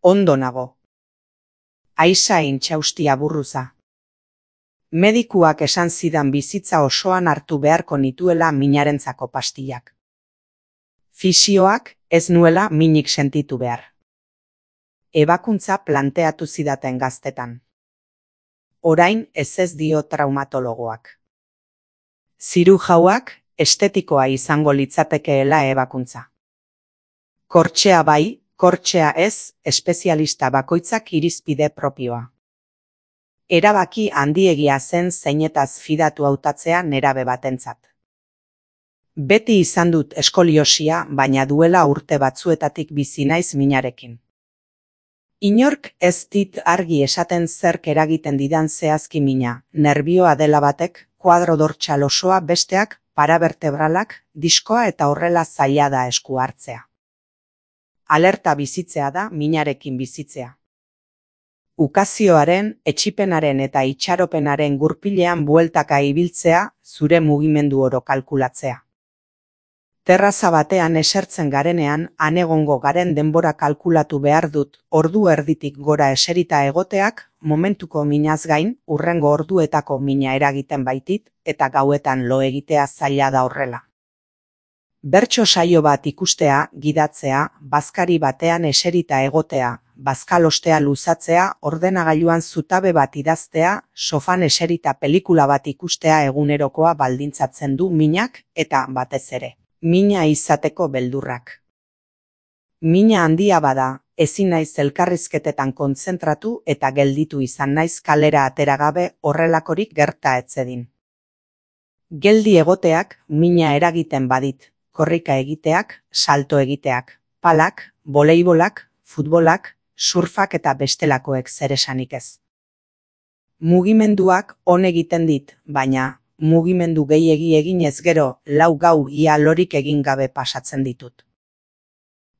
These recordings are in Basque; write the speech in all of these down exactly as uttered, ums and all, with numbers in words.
Ondo nago. Aisa intxaustia burruza. Medikuak esan zidan bizitza osoan hartu beharko nituela minarentzako pastillak. Fisioak ez nuela minik sentitu behar. Ebakuntza planteatu zidaten gaztetan. Orain ez ez dio traumatologoak. Zirujauak estetikoa izango litzatekeela ebakuntza. Kortxea bai, kortxea ez, espezialista bakoitzak irizpide propioa. Erabaki handiegia zen zeinetaz fidatu hautatzea nerabe batentzat. Beti izan dut eskoliosia, baina duela urte batzuetatik bizi naiz minarekin. Inork ez dit argi esaten zerk eragiten didan zehazki mina, nerbioa dela batek, kuadro dortsal osoa besteak, parabertebralak, diskoa eta horrela zaila da esku hartzea. Alerta bizitzea da minarekin bizitzea. Ukazioaren, etsipenaren eta itxaropenaren gurpilean bueltaka ibiltzea, zure mugimendu oro kalkulatzea. Terraza batean esertzen garenean, han egongo garen denbora kalkulatu behar dut, ordu erditik gora eserita egoteak, momentuko minaz gain, hurrengo orduetako mina eragiten baitit, eta gauetan lo egitea zaila da horrela. Bertso saio bat ikustea, gidatzea, bazkari batean eserita egotea, bazkalostea luzatzea, ordenagailuan zutabe bat idaztea, sofan eserita pelikula bat ikustea egunerokoa baldintzatzen du minak, eta batez ere, mina izateko beldurrak. Mina handia bada, ezin naiz elkarrizketetan kontzentratu eta gelditu izan naiz kalera ateragabe horrelakorik gerta etzedin. Geldi egoteak mina eragiten badit, korrika egiteak, salto egiteak, palak, voleibolak, futbolak, surfak eta bestelakoek zer esanik ez. Mugimenduak on egiten dit, baina mugimendu gehiegi eginez gero lau gau ia lorik egin gabe pasatzen ditut.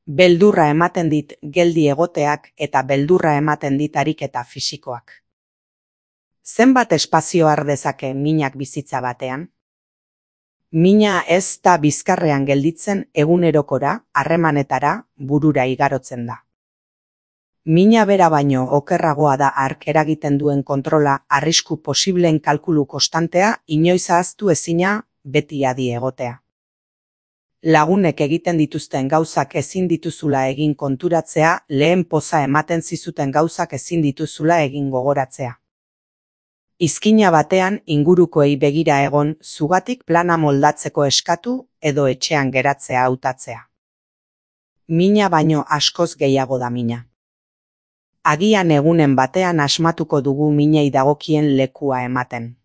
Beldurra ematen dit geldi egoteak eta beldurra ematen dit ariketa fisikoak. Zenbat espazio har dezake minak bizitza batean? Mina ez da bizkarrean gelditzen egunerokora, harremanetara, burura igarotzen da. Mina bera baino okerragoa da hark eragiten duen kontrola, arrisku posibleen kalkulu konstantea, inoiz ahaztu ezina, beti adi egotea. Lagunek egiten dituzten gauzak ezin dituzula egin konturatzea, lehen poza ematen zizuten gauzak ezin dituzula egin gogoratzea. Izkina batean ingurukoei begira egon, zugatik plana moldatzeko eskatu edo etxean geratzea hautatzea. Mina baino askoz gehiago da mina. Agian egunen batean asmatuko dugu minei dagokien lekua ematen.